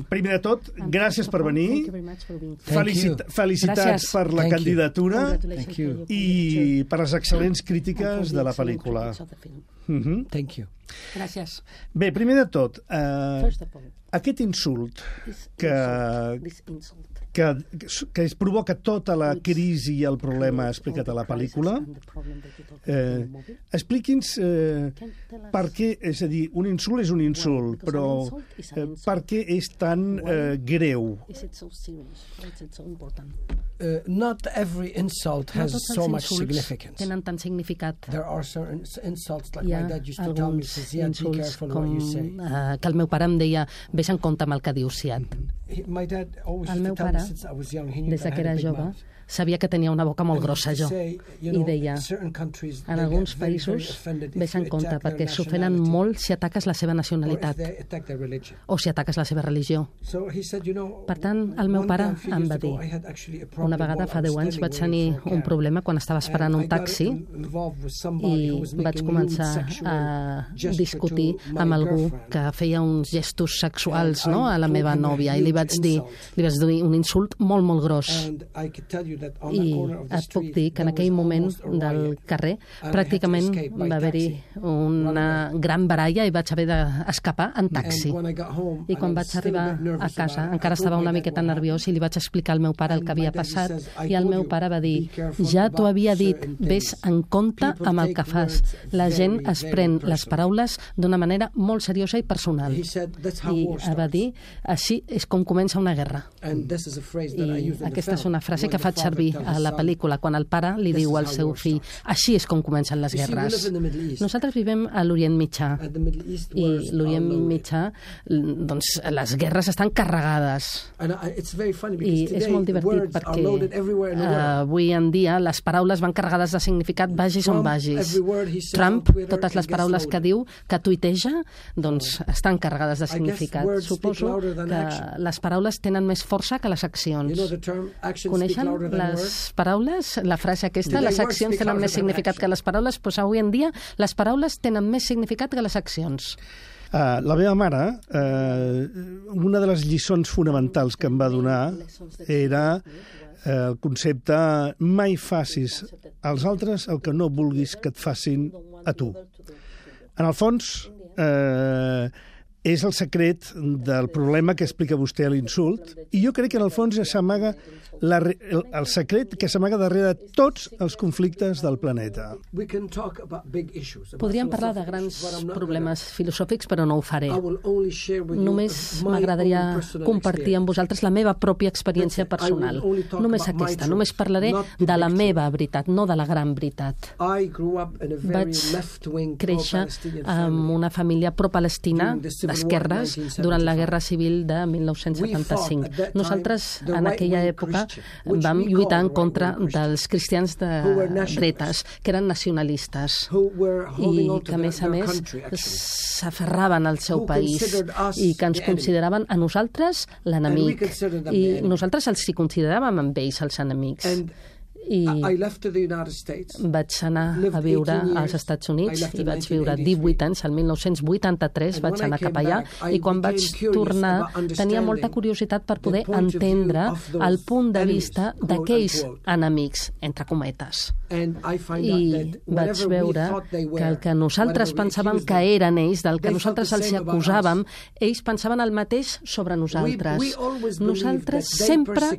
Primer de tot, gràcies per venir. Felicitats per la candidatura i per les excel·lents crítiques de la pel·lícula. Thank you. Gràcies. Bé, primer de tot, aquest insult que es provoca tota la crisi i el problema explicat a la pel·lícula, expliqui'ns per què, és a dir, un insult és un insult, però per què és tan greu? Not every insult has so much significance. Tenen tant significat. There are certain insults like Hi my ha dad used to tell me, alguns says, yeah, be insults careful com what you say. que el meu pare em deia vés en compte amb el que dius, Siad. My dad always El used meu to tell me pare, since I was young, he knew des that I que had a era big jove, mouth. sabia que tenia una boca molt grossa, jo. Say, you I know, deia, certain countries, en they alguns get very, very països offended if vés en you compte attack their perquè s'ofenen nationality molt si ataques la seva or if nacionalitat they attack their religion. o si ataques la seva religió. So he said, you know, Per tant, el meu one pare time, a few em years va ago, dir, I had actually a una problem vegada while fa I was 10 anys vaig standing tenir waiting for a un cab. problema quan estava esperant un And I got taxi involved with somebody i who was vaig making començar lewd sexual a gesture discutir to my amb algú girlfriend. que feia uns gestos sexuals, And no?, I a la told meva him a nòvia i li huge vaig dir un insult molt, molt gros. And I could tell you that on I that corner of the et puc street, dir que en there aquell was moment almost a del riot. carrer And I had to pràcticament escape by va haver-hi taxi. una gran baralla i vaig haver d'escapar en taxi. And when I got home, I quan and I vaig was still a arribar bit nervous a casa about it, encara I told estava my una dad miqueta what nerviós i li vaig explicar al meu pare el que havia passat i el meu pare va dir, ja t'ho havia dit, ves en compte amb el que fas. La gent es pren les paraules d'una manera molt seriosa i personal. I va dir, així és com comença una guerra. I aquesta és una frase que faig servir a la pel·lícula quan el pare li diu al seu fill, així és com comencen les guerres. Nosaltres vivim a l'Orient Mitjà i l'Orient Mitjà, doncs les guerres estan carregades i és molt divertit perquè avui en dia les paraules van carregades de significat vagis on vagis. Trump, totes les paraules que diu, que tuiteja, doncs estan carregades de significat. Suposo que les paraules tenen més força que les accions. Coneixen les paraules? La frase aquesta, les accions tenen més significat que les paraules? Doncs avui en dia les paraules tenen més significat que les accions. La meva mare, una de les lliçons fonamentals que em va donar era el concepte mai facis als altres el que no vulguis que et facin a tu. En el fons, és el secret del problema que explica vostè a l'insult, i jo crec que en el fons s'amaga el secret que s'amaga darrere de tots els conflictes del planeta. Podríem parlar de grans problemes filosòfics, però no ho faré. Només m'agradaria compartir amb vosaltres la meva pròpia experiència personal. Només aquesta. Només parlaré de la meva veritat, no de la gran veritat. Vaig créixer amb una família pro-palestina d'esquerres durant la Guerra Civil de 1975. Nosaltres, en aquella època, vam lluitar en contra dels cristians de dretes, que eren nacionalistes i que, a més, s'aferraven al seu país i que ens consideraven a nosaltres l'enemic. I nosaltres els consideràvem amb ells els enemics. I vaig anar a viure als Estats Units i vaig viure 18 anys, el 1983 vaig anar cap allà i quan vaig tornar tenia molta curiositat per poder entendre el punt de vista d'aquells enemics, entre cometes. I vaig veure que el que nosaltres pensàvem que eren ells, del que nosaltres els acusàvem, ells pensaven el mateix sobre nosaltres. Nosaltres sempre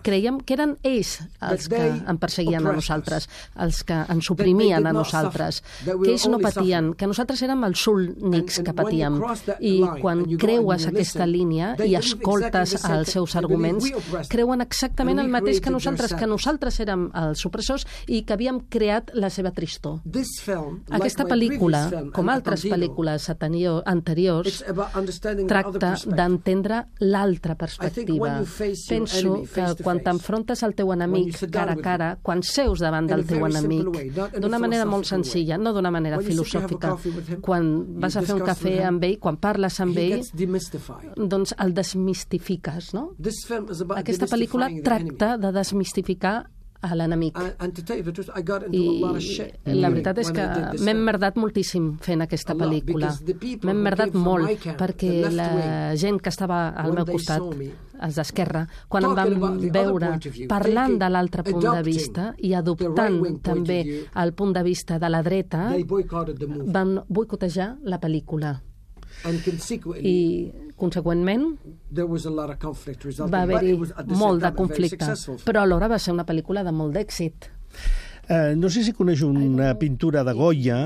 creiem que eren ells els que em perseguien a nosaltres, els que ens oprimien a nosaltres, que ells no patien, que nosaltres érem els únics que patíem. I quan creues aquesta línia i escoltes els seus arguments, creuen exactament el mateix que nosaltres érem els opressors i que havíem creat la seva tristor. Aquesta pel·lícula, com altres pel·lícules anteriors, tracta d'entendre l'altra perspectiva. Penso que quan t'enfrontes al teu enemic cara a cara, quan seus davant del teu enemic, d'una manera molt senzilla, no d'una manera filosòfica, quan vas a fer un cafè amb ell, quan parles amb ell, doncs el desmistifiques, no? Aquesta pel·lícula tracta de desmistificar a l'enemic. I la veritat és que m'he emmerdat moltíssim fent aquesta pel·lícula. M'he emmerdat molt, perquè la gent que estava al meu costat, els d'esquerra, quan em van veure parlant de l'altre punt de vista i adoptant també el punt de vista de la dreta, van boicotejar la pel·lícula. I, conseqüentment, va haver-hi molt de conflicte, però alhora va ser una pel·lícula de molt d'èxit. No sé si coneix una pintura de Goya,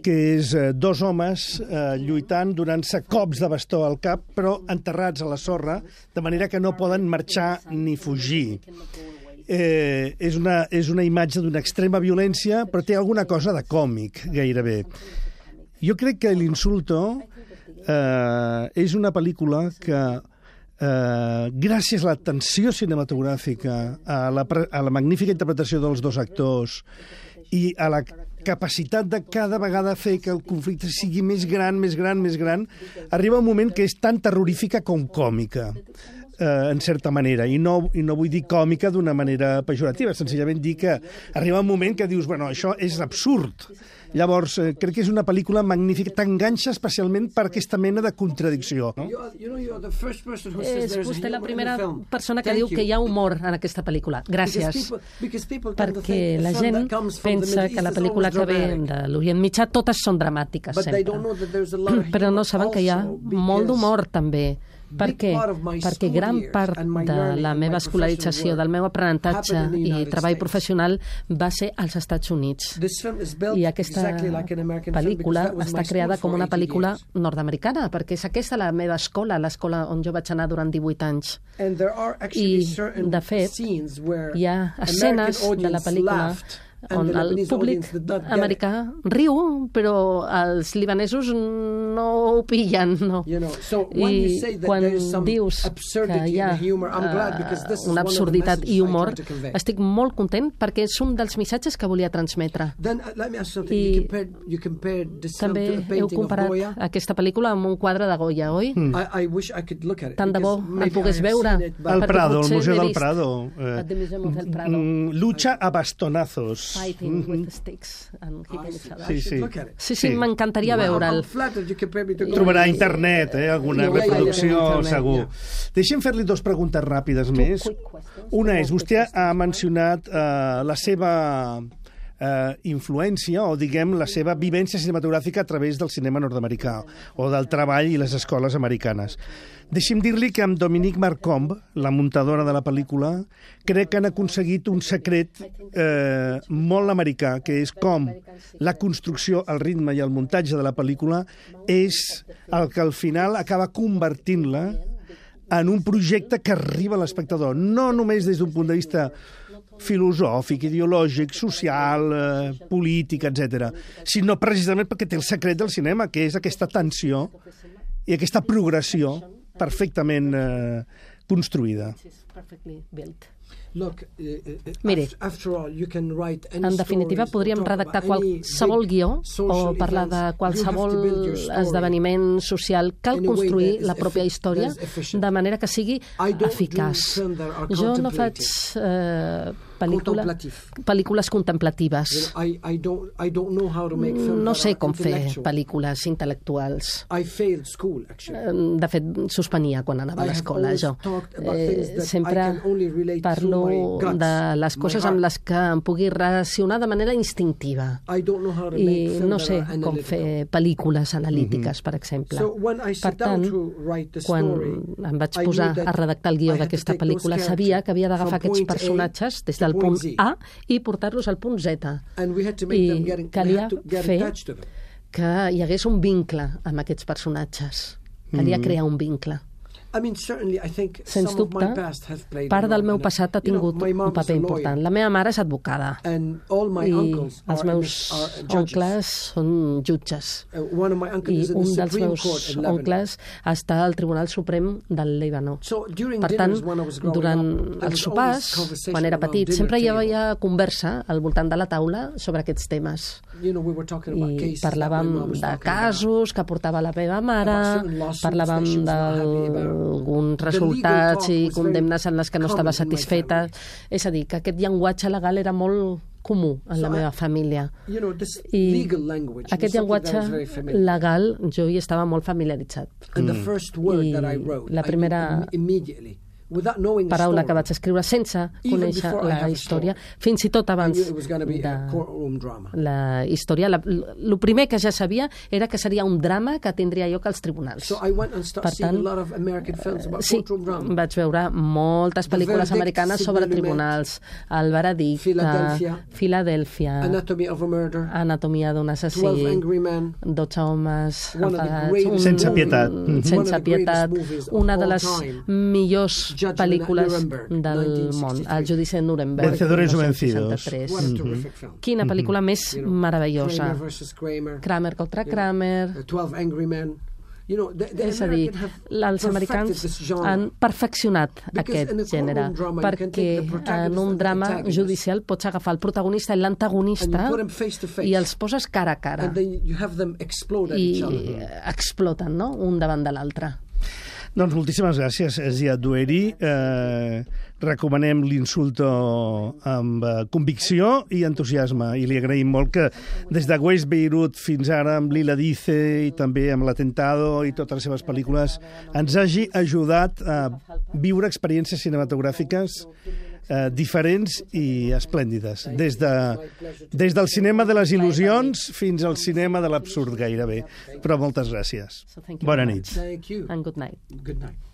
que és dos homes lluitant, donant-se cops de bastó al cap, però enterrats a la sorra, de manera que no poden marxar ni fugir. És una imatge d'una extrema violència, però té alguna cosa de còmic, gairebé. Jo crec que l'Insulto és una pel·lícula que, gràcies a la tensió cinematogràfica, a la magnífica interpretació dels dos actors i a la capacitat de cada vegada fer que el conflicte sigui més gran, arriba un moment que és tan terrorífica com còmica, en certa manera, i no vull dir còmica d'una manera pejorativa, senzillament dir que arriba un moment que dius, bueno, això és absurd. Llavors, crec que és una pel·lícula magnífica, t'enganxa especialment per aquesta mena de contradicció. No? És vostè la primera persona que diu que hi ha humor en aquesta pel·lícula. Gràcies. Perquè la gent pensa que la pel·lícula que ve de l'Orient Mitjà totes són dramàtiques, sempre. Però no saben que hi ha molt d'humor, també. Per què? Perquè gran part de la meva escolarització, del meu aprenentatge i treball professional va ser als Estats Units. I aquesta pel·lícula està creada com una pel·lícula nord-americana, perquè és aquesta la meva escola, l'escola on jo vaig anar durant 18 anys. I, de fet, hi ha escenes de la pel·lícula on el públic americà riu, però els libanesos no ho pillen, no. I quan dius que hi ha una absurditat i humor, estic molt content perquè és un dels missatges que volia transmetre. I també heu comparat aquesta pel·lícula amb un quadre de Goya, oi? Tant de bo el pogués veure. Al Prado, al Museu del Prado. Lucha a bastonazos. Fighting with sticks and hitting each other. Sí, m'encantaria veure'l. Trobarà a internet, alguna reproducció, segur. Deixem fer-li dues preguntes ràpides més. Una és, vostè ha mencionat la seva influència, o diguem la seva vivència cinematogràfica a través del cinema nord-americà, o del treball i les escoles americanes. Deixi'm dir-li que amb Dominique Marcombe, la muntadora de la pel·lícula, crec que han aconseguit un secret molt americà, que és com la construcció, el ritme i el muntatge de la pel·lícula és el que al final acaba convertint-la en un projecte que arriba a l'espectador, no només des d'un punt de vista filosòfic, ideològic, social, polític, etc., sinó precisament perquè té el secret del cinema, que és aquesta tensió i aquesta progressió perfectament construïda. Mire, en definitiva podríem redactar qualsevol guió o parlar de qualsevol esdeveniment social. Cal construir la pròpia història de manera que sigui eficaç. Jo no faig pel·lícules contemplatives. No sé com fer pel·lícules intel·lectuals. De fet, suspenia quan anava a l'escola, jo. Sempre parlo de les coses amb les que em pugui relacionar de manera instintiva. I no sé com fer pel·lícules analítiques, per exemple. Per tant, quan em vaig posar a redactar el guió d'aquesta pel·lícula, sabia que havia d'agafar aquests personatges des del punt A i portar-los al punt Z. I calia fer que hi hagués un vincle amb aquests personatges. Calia crear un vincle. Sens dubte, part del meu passat ha tingut un paper important. La meva mare és advocada i els meus oncles són jutges. I un dels meus oncles està al Tribunal Suprem del Líban. Per tant, durant els sopars, quan era petit, sempre hi havia conversa al voltant de la taula sobre aquests temes. I parlàvem de casos que portava la meva mare, parlàvem d'alguns resultats i condemnes en les que no estava satisfeta. És a dir, que aquest llenguatge legal era molt comú en la meva família. I aquest llenguatge legal jo hi estava molt familiaritzat. I la primera paraula que vaig escriure sense conèixer la història, fins i tot abans de la història. El primer que ja sabia era que seria un drama que tindria lloc als tribunals. Per tant, sí, vaig veure moltes pel·lícules americanes sobre tribunals. El veredicte, Filadèlfia, Anatomia d'un assassí, 12 homes enfadats, sense pietat. Sense pietat. Una de les millors pel·lícules del món, El judici de Nuremberg, Vencedores o vencidos. Quina pel·lícula més meravellosa. Kramer contra Kramer. És a dir, els americans han perfeccionat aquest gènere, perquè en un drama judicial pots agafar el protagonista i l'antagonista i els poses cara a cara i exploten, no?, un davant de l'altre. Doncs moltíssimes gràcies, Ziad Doueiri. Recomanem l'Insulto amb convicció i entusiasme, i li agraïm molt que des de West Beirut fins ara amb Lila Dice i també amb l'Atentado i totes les seves pel·lícules ens hagi ajudat a viure experiències cinematogràfiques diferents i esplèndides, des del cinema de les il·lusions fins al cinema de l'absurd gairebé. Però moltes gràcies. Bona nit. And good night. Good night.